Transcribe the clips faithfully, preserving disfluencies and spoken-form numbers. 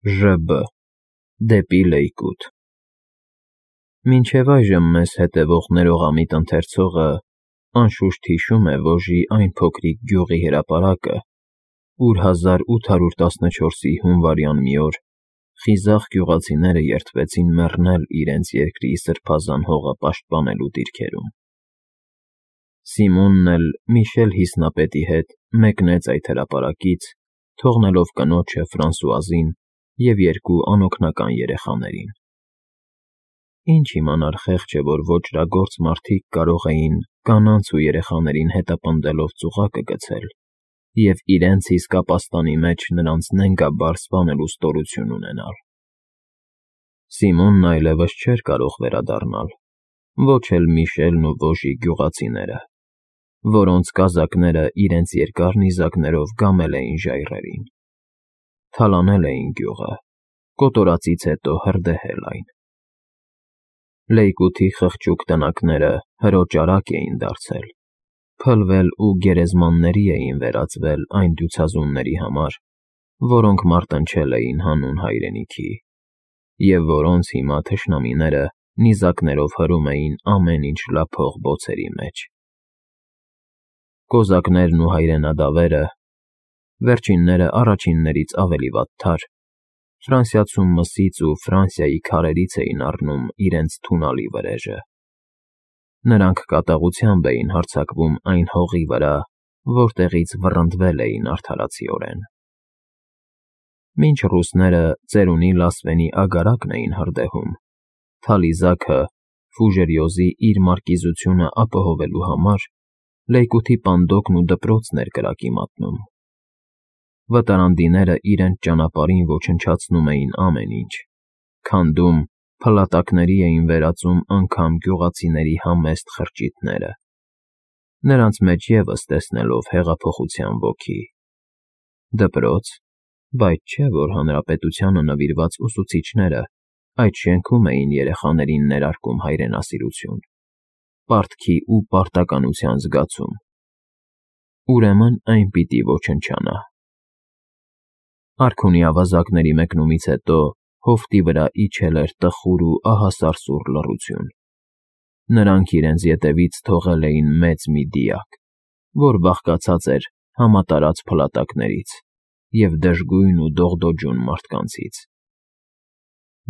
Ժ B Դեպի Լեյկոտ։ Մինչև այժմ մեզ հետևող ներողամիտ ընթերցողը անշուշտ հիշում է Վոժի այն փոքրիկ գյուղի հրապարակը, ուր հազար ութ հարյուր տասնչորսի հունվարյան մի օր խիզախ գյուղացիները երդվեցին մեռնել իրենց երկրի սրբազան հողը պաշտպանելու դիրքերում։ Սիմոնն էլ Միշել Հիսնապետի հետ մեկնեց այդ հրապարակից, թողնելով կնոջը Ֆրանսուազին և երկու անօգնական երեխաներին։ Ինչ իմանար խեղճը, որ ոճրագործ մարդիկ կարող էին կանանց ու երեխաներին հետապնդելով ծուղակը գցել և իրենց իսկապաստանի մեջ նրանց նենգաբար սպանելու ստորություն ունենալ։ Սիմոնն այլևս չէր կարող վերադառնալ, ոչ էլ Միշելն ու Վոժի գյուղացիները, որոնց կազակները իրենց երկար նիզակներով գամել էին ժայռերին, թալանել էին գյուղը, կոտորածից հետո հրդեհել այն։ Լեյկոթի խղճուկ տնակները հրոճարակ էին դարձել, փլվել ու գերեզմանների էին վերածվել այն դյուցազունների համար, որոնք մարտնչել էին հանուն հայրենիքի, և որոնց հիմա թշնամիները նիզակներով հրում էին ամեն ինչ լափող բոցերի մեջ։ Կոզակներն ու հայրենադավերը, վերջինները առաջիններից ավելի վատթար, Ֆրանսիացու մսից ու Ֆրանսիայի քարերից էին առնում իրենց թունալի վրեժը։ Նրանք կատաղությամբ էին հարձակվում այն հողի վրա, որտեղից վռնդվել էին արդարացիորեն։ Մինչ ռուսները ծերունի լասվենի ագարակն էին հրդեհում, Թալիզաքը Ֆուժերյոզի իր մարկիզությունը ապահովելու համար Լեյկոթի պանդոկն ու դպրոցն էր կրակի մատնում։ Վտարանդիները իրենց ճանապարհին ոչնչացնում էին ամեն ինչ, քանդում, փլատակների էին վերածում անգամ գյուղացիների համեստ խրճիթները, նրանց մեջ ևս տեսնելով հեղափոխության ոգի։ Դպրոց, բայց չէ՞ որ հանրապետությանը նվիրված ուսուցիչները այդ շենքում էին երեխաներին ներարկում հայրենասիրություն, պարտքի ու պարտականության զգացում։ Ուրեմն այն պիտի ոչնչանա։ Արքունի ավազակների մեկնումից հետո հովտի վրա իջել էր տխուր ու ահասարսուռ լռություն։ Նրանք իրենց ետևից թողել էին մեծ մի դիակ, որ բաղկացած էր համատարած փլատակներից և դժգույն ու դողդոջուն մարդկանցից։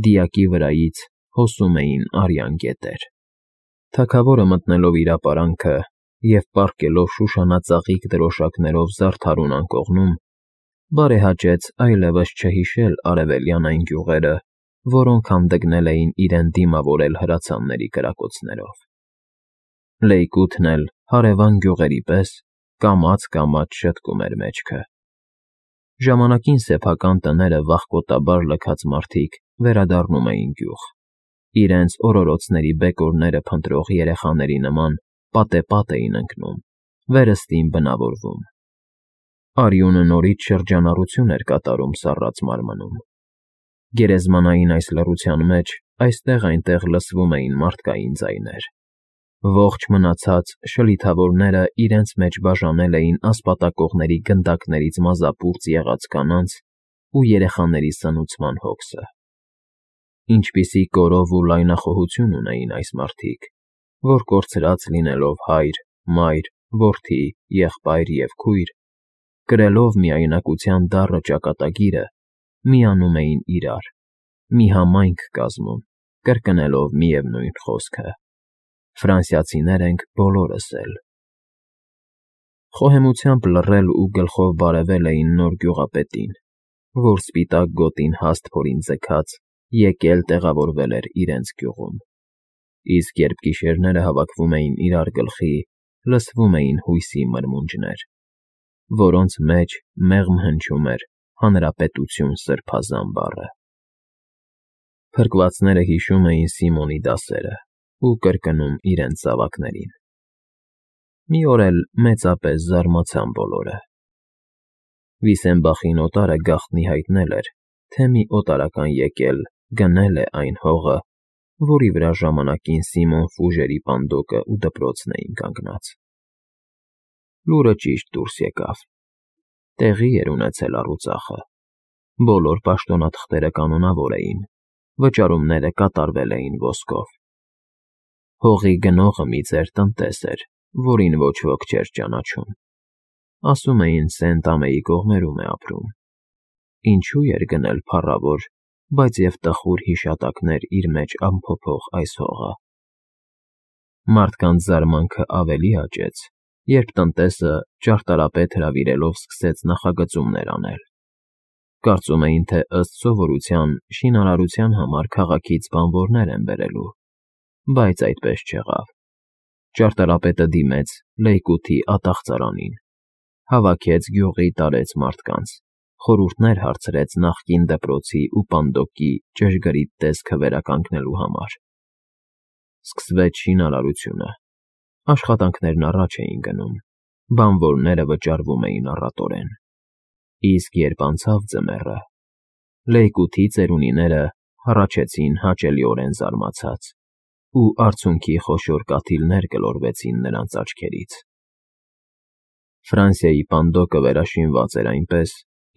Դիակի վրայից հոսում էին արյան գետեր։ Թագավորը մտնելով իր ապարանքը և պառկելով շուշանածաղիկ դրոշակներով զարդարուն անկողնում, բարեհաճեց այլևս չհիշել արևելյան այն գյուղերը, որոնք հանդգնել էին իրեն դիմավորել հրացանների կրակոցներով։ Լեյկոթն էլ հարևան գյուղերի պես կամաց֊կամաց շտկում էր մեջքը։ Ժամանակին սեփական տները վախկոտաբար լքած մարդիկ վերադառնում էին գյուղ, իրենց օրորոցների բեկորները փնտրող երեխաների նման պատեպատ էին ընկնում, վերստին բնավորվում։ Արյունը նորից շրջանառություն էր կատարում սառած մարմնում։ Գերեզմանային այս լռության մեջ այստեղ֊այնտեղ լսվում էին մարդկային ձայներ։ Ողջ մնացած շլիթավորները իրենց մեջ բաժանել էին ասպատակողների գնդակներից մազապուրծ եղած կանանց ու երեխաների սնուցման հոգսը։ Ինչպիսի կորով ու լայնախոհություն ունեին այս մարդիկ, որ կորցրած լինելով հայր, մայր, որդի, եղբայր և քույր, կրելով միայնակության դառը ճակատագիրը, միանում էին իրար, մի համայնք կազմում, կրկնելով միևնույն խոսքը. «Ֆրանսիացիներ ենք բոլորս էլ»։ Խոհեմությամբ լռել ու գլխով բարևել էին նոր գյուղապետին, որ սպիտակ գոտին հաստ փորին ձգած եկել տեղավորվել էր իրենց գյուղում, իսկ երբ գիշերները հավաքվում էին իրար գլխի, լսվում էին հույսի մրմունջներ, որոնց մեջ մեղմ հնչում էր Հանրապետություն սրբազան բառը։ Փրկվածները հիշում էին Սիմոնի դասերը ու կրկնում իրենց զավակներին։ Մի օր էլ մեծապես զարմացան բոլորը։ Վիսենբախին օտարը գաղտնի հայտնել էր, թե մի օտարական եկել գնել է այն հողը, որի վրա ժամանակին Սիմոն Ֆուժերի պանդոկը ու դպրոցն էին կանգնած։ Լուրը ճիշտ դուրս եկավ։ Տեղի էր ունեցել առուծախը, Բոլոր պաշտոնաթղթերը կանոնավոր էին, վճարումները կատարվել էին ոսկով։ Հողի գնողը մի ծեր տնտես էր, որին ոչ ոք չէր ճանաչում։ Ասում էին Սենտ-Ամեի կողմերում է ապրում։ Ինչու էր գնել փառավոր, բայց և տխուր հիշատակներ իր մեջ ամփոփող այս հողը։ Մարդկանց զարմանքը ավելի աճեց, երբ տնտեսը ճարտարապետ հրավիրելով սկսեց նախագծումներ անել։ Կարծում էին, թե ըստ սովորության շինարարության համար քաղաքից բանվորներ են բերելու, բայց այդպես չեղավ։ Ճարտարապետը դիմեց Լեյկութի ատաղծարանին, հավաքեց գյուղի տարեց մարդկանց, խորհուրդներ հարցրեց նախկին դպրոցի ու պանդոկի ճշգրիտ տեսքը վերականգնելու համար։ Սկսվեց շինարարությունը։ Աշխատանքներն առաջ էին գնում, բանվորները վճարվում էին առատորեն։ Իսկ երբ անցավ ձմեռը, Լեյկութի ծերունիները հառաչեցին հաճելիորեն զարմացած, ու արցունքի խոշոր կաթիլներ գլորվեցին նրանց աչքերից։ Ֆրանսիայի պանդոկը վերաշինված էր այնպես,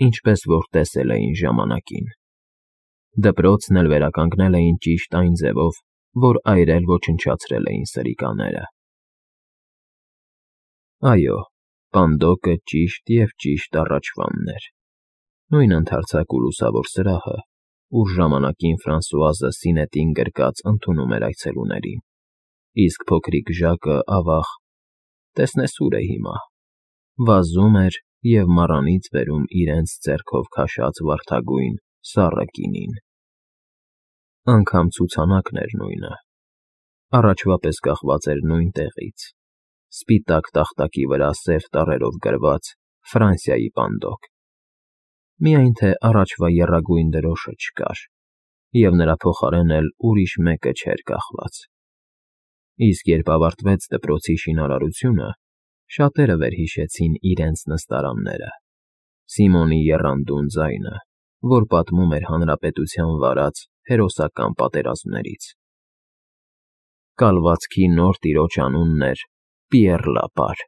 ինչպես որ տեսել էին ժամանակին։ Դպրոցն էլ վերականգնել էին ճիշտ այն ձևով, որ այրել ոչնչացրել էին սրիկաները։ Այո, պանդոկը ճիշտ և ճիշտ առաջվանն էր։ Նույն ընդարձակ ու լուսավոր սրահը, ուր ժամանակին Ֆրանսուազը սինետին գրկած ընդունում էր այցելուներին, իսկ փոքրիկ Ժակը, ավաղ, տեսնես ուր է հիմա, վազում էր և մառանից բերում իրենց ձեռքով քաշած վարդագույն, սառը գինին։ Անգամ ցուցանակն էր նույնը, առաջվա պես կախված էր նույն տեղից, սպիտակ տախտակի վրա սև տառերով գրված «Ֆրանսիայի պանդոկ», միայն թե առաջվա եռագույն դրոշը չկար, և նրա փոխարեն էլ ուրիշ մեկը չէր կախված։ Իսկ երբ ավարտվեց դպրոցի շինարարությունը, շատերը վերհիշեցին իրենց նստարանները, Սիմոնի եռանդուն ձայնը, որ պատմում էր հանրապետության վարած հերոսական պատերազմներից։ Կալվածքի նոր տիրոջ անունն էր Պիեռ Լապար։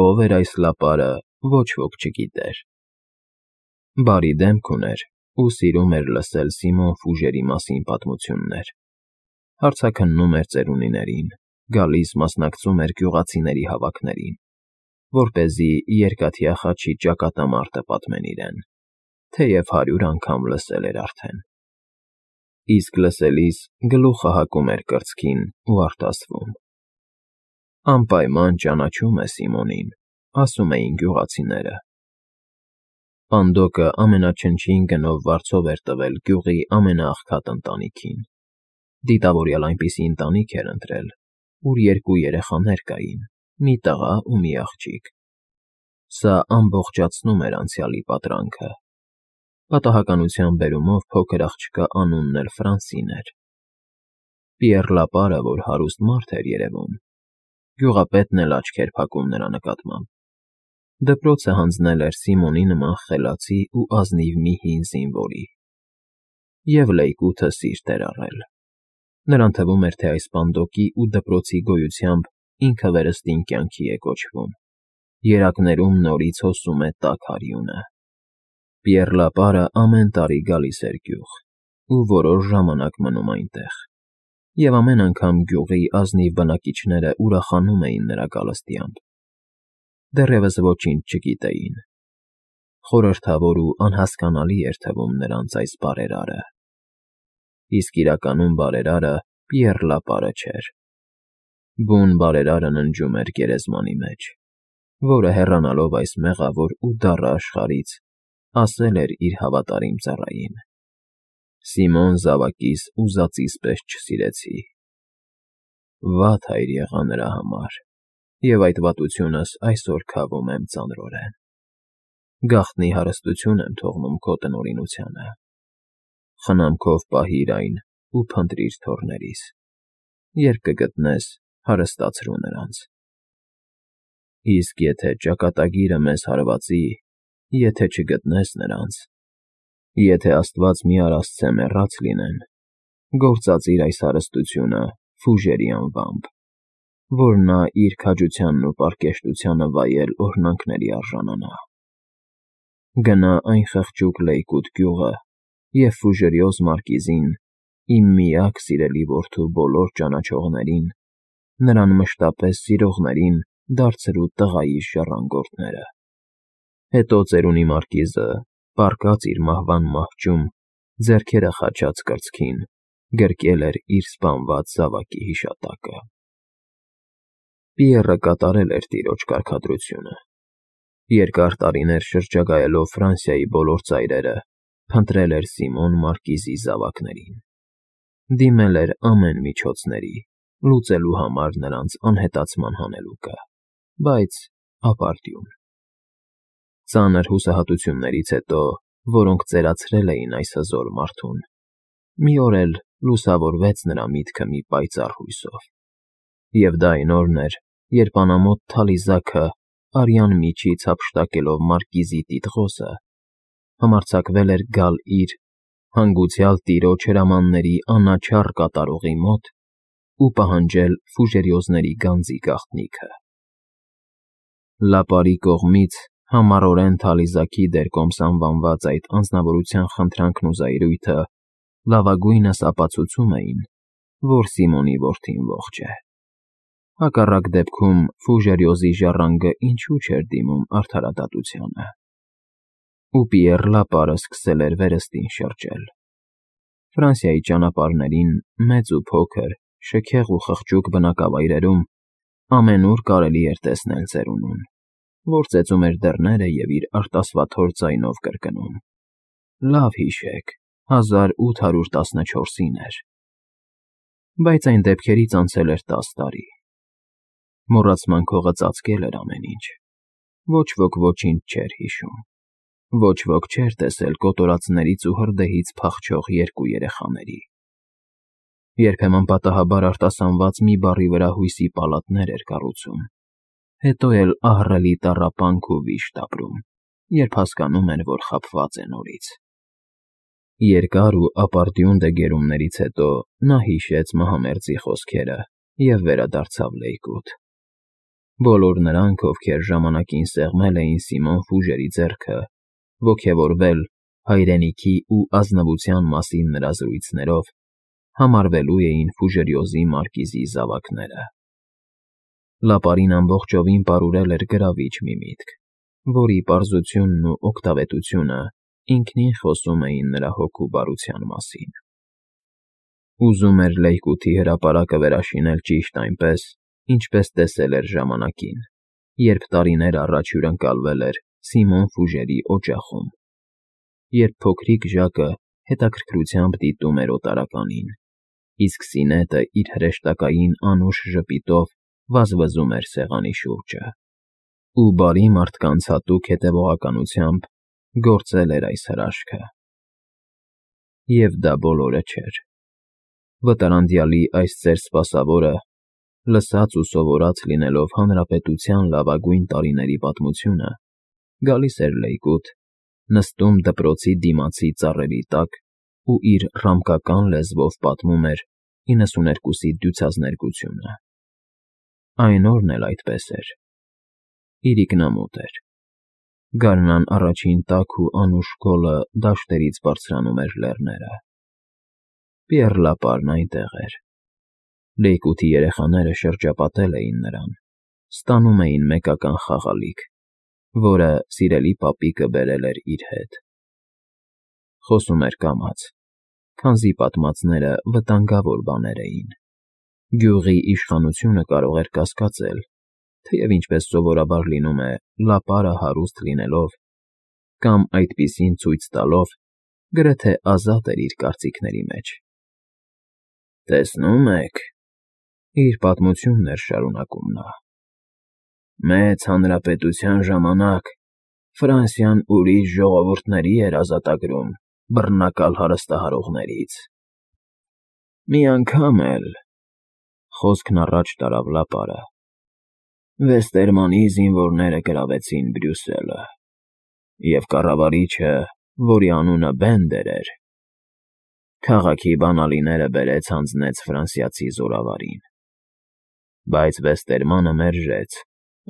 Ով էր այս Լապարը, ոչ ոք չգիտեր։ Բարի դեմք ուներ ու սիրում էր լսել Սիմոն Ֆուժերի մասին պատմություններ։ Հարցաքննում էր ծերունիներին, գալիս մասնակցում էր գյուղացիների հավաքներին, որպեսզի Երկաթյա խաչի ճակատամարտը պատմեն իրեն, թեև հարյուր անգամ լսել էր արդեն։ Իսկ լսելիս գլուխը հակում էր կրծքին ու արտասվում։ Անպայման ճանաչում է Սիմոնին, ասում էին գյուղացիները։ Պանդոկը ամենաչնչին գնով վարձով էր տվել գյուղի ամենաաղքատ ընտանիքին։ Դիտավորյալ այնպիսի ընտանիք էր ընտրել, ուր երկու երեխաներ կային, մի տղա ու մի աղջիկ։ Սա ամբողջացնում էր անցյալի պատրանքը։ Պատահականության բերումով փոքր աղջկա անունն էլ Ֆրանսին էր։ Պիեռ Լապարը, որ հարուստ մարդ էր երևում, գյուղապետն էլ աչք էր փակում նրա նկատմամբ։ Դպրոցը հանձնել էր Սիմոնի նման խելացի ու ազնիվ մի հին զինվորի։ Եվ Լեյկութը սիրտ էր առել։ Նրան թվում էր, թե այս պանդոկի ու դպրոցի գոյությամբ ինքը վերստին կյանքի է կոչվում։ Երակներում նորից հոսում է տաք արյունը։ Պիեռ Լապարը ամեն տարի գալիս էր գյուղ ու որոշ ժամանակ մնում այնտեղ, և ամեն անգամ գյուղի ազնիվ բնակիչները ուրախանում էին նրա գալստյամբ։ Դեռևս ոչինչ չգիտեին։ Խորհրդավոր ու անհասկանալի էր թվում նրանց այս բարերարը։ Իսկ իրականում բարերարը Պիեռ Լապարը չէր։ Բուն բարերարը ննջում էր գերեզմանի մեջ, որը հեռանալով այս մեղավոր ու դառը աշխարհից, ասել էր իր հավատարիմ ծառային. «Սիմոն զավակիս ուզածիս պես չսիրեցի»։ Վատ հայր եղա նրա համար, և այդ վատությունս այսօր քավում եմ ծանրորեն։ Գաղտնի հարստություն եմ թողնում քո տնօրինությանը։ Խնամքով պահիր այն ու փնտրիր թոռներիս։ Երբ կգտնես, հարստացրու նրանց։ Իսկ եթե ճակատագիրը մեզ հարվածի, եթե չգտնես նրանց, եթե աստված մի արասցե մեռած լինեն, գործածիր այս հարստությունը Ֆուժերի անվամբ, որ նա իր քաջությանն ու պարկեշտությանը վայել օրհնանքների արժանանա։ գնա այն խղճուկ լեյկուտ գյուղը և Ֆուժերիոզ մարկիզին, իմ միակ սիրելի որդու բոլոր ճանաչողներին, նրան մշտապես սիրողներին դարձրու տղայիս ժառանգորդները։ Հետո ծերունի մարկիզը պառկած իր մահվան մահճում, ձեռքերը խաչած կրծքին, գրկել էր իր սպանված զավակի հիշատակը։ Պիեռը կատարել էր տիրոջ կարգադրությունը։ Երկար տարիներ շրջագայելով Ֆրանսիայի բոլոր ծայրերը, փնտրել էր Սիմոն մարկիզի զավակներին։ Դիմել էր ամեն միջոցների, լուծելու համար նրանց անհետացման հանելուկը, բայց ապարդյուն։ Ծանր հուսահատություններից հետո, որոնք ծերացրել էին այս հզոր մարդուն, մի օր էլ լուսավորվեց նրա միտքը մի պայծառ հույսով։ Եվ դա այն օրն էր, երբ անամոթ թալիզաքը, արյան միջից հափշտակելով մարկիզի տիտղոսը, համարձակվել էր գալ իր, հանգուցյալ տիրոջ հրամանների անաչառ կատարողի մոտ ու պահանջել Ֆուժերիոզների գանձի գաղտնիքը։ Լապարի կողմից համառորեն Թալիզաքի դերկոմս անվանված այդ անձնավորության խնդրանքն ու զայրույթը լավագույնս ապացուցում էին, որ Սիմոնի որդին ողջ է։ Հակառակ դեպքում Ֆուժերիոզի ժառանգը ինչու չէր դիմում արդարադատությանը։ Ու Պիեռ Լապարը սկսել էր վերստին շրջել։ Ֆրանսիայի ճանապարհներին, մեծ ու փոքր, շքեղ ու խղճուկ բնակավայրերում ամենուր կարելի էր տեսնել ծերունուն, որ ծեծում էր դռները և իր արտասվաթոր ձայնով կրկնում. «Լավ հիշեք, հազար ութ հարյուր տասնչորսին էր»։ Բայց այն դեպքերից անցել էր տաս տարի։ Մոռացման քողը ծածկել էր ամեն ինչ։ Ոչ ոք ոչինչ չէր հիշում։ Ոչ ոք չէր տեսել կոտորածներից ու հրդեհից փախչող երկու երեխաների։ Երբեմն պատահաբար արտասանված մի բառի վրա հույսի պալատներ էր կառուցում, հետո էլ ահռելի տառապանք ու վիշտ ապրում, երբ հասկանում էր, որ խաբված է նորից։ Երկար ու ապարդյուն դեգերումներից հետո նա հիշեց մահամերձի խոսքերը և վերադարձավ լեյկուտ։ Բոլոր նրանք, ովքեր ժամանակին սեղմել էին Սիմոն Ֆուժերի ձեռքը, ոգևորվել հայրենիքի ու ազնվության մասին նրա զրույցներով, համարվելու էին Ֆուժերիոզի մարկիզի զավակները։ Լապարին ամբողջովին պարուրել էր գրավիչ մի միտք, որի պարզությունն ու օգտավետությունը ինքնին խոսում էին նրա հոգու բարության մասին։ Ուզում էր լեյկուտի հրապարակը վերաշինել ճիշտ այնպես, ինչպես տեսել էր ժամանակին, երբ տարիներ առաջ հյուրընկալվել էր Սիմոն Ֆուժերի օջախում, երբ փոքրիկ Ժակը հետաքրքրությամբ դիտում էր օտարականին, իսկ Սինետը իր հրեշտակային անուշ ժպիտով վազվզում էր սեղանի շուրջը, ու բարի մարդկանց հատուկ հետևողականությամբ գործել էր այս հրաշքը։ Եվ դա բոլորը չէր։ Վտարանդյալի այս ծեր սպասավորը, լսած ու սովորած լինելով հանրապետության լավագույն տարիների պատմությունը, գալիս էր լեյկուտ, նստում դպրոցի դիմացի ծառերի տակ ու իր ռամկական լեզվով պատմում էր իննսուներկուսի դյուցազներկությունը։ Այն օրն էլ այդպես էր։ Իրիկնամոտ էր։ Գարնան առաջին տաք ու անուշ գոլը դաշտերից բարձրանում էր լեռները։ Պիեռ Լապարն այնտեղ էր։ Լեյկուտի երեխաները շրջապատել էին նրան, ստանում էին մեկական խաղալիք, որը սիրելի պապիկը բերել էր իր հետ։ Խոսում էր կամաց, քանզի պատմածները վտանգավոր բաներ էին։ Գյուղի իշխանությունը կարող էր կասկածել, թեև ինչպես սովորաբար լինում է, Լապարը հարուստ լինելով կամ այդպիսին ցույց տալով, գրեթե ազատ էր իր կարծիքների մեջ։ «Տեսնում եք,» իր պատմությունն էր շարունակում նա, «Մեծ Հանրապետության ժամանակ Ֆրանսիան ուրիշ ժողովուրդների էր ազատագրում բռնակալ հարստահարողներից։ Մի անգամ էլ,» խոսքն առաջ տարավ Լապարը, «Վեստերմանի զինվորները գրավեցին Բրյուսելը, և կառավարիչը, որի անունը Բենդեր էր, քաղաքի բանալիները բերեց հանձնեց ֆրանսիացի զորավարին։ Բայց Վեստերմանը մերժեց,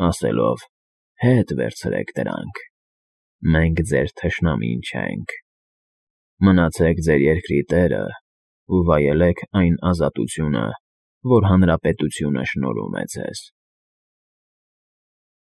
ասելով. «Հետ վերցրեք դրանք, մենք ձեր թշնամին չենք։ Մնացեք ձեր երկրի տերը ու վայելեք այն ազատությունը, որ հանրապետությունը շնորհում է ձեզ։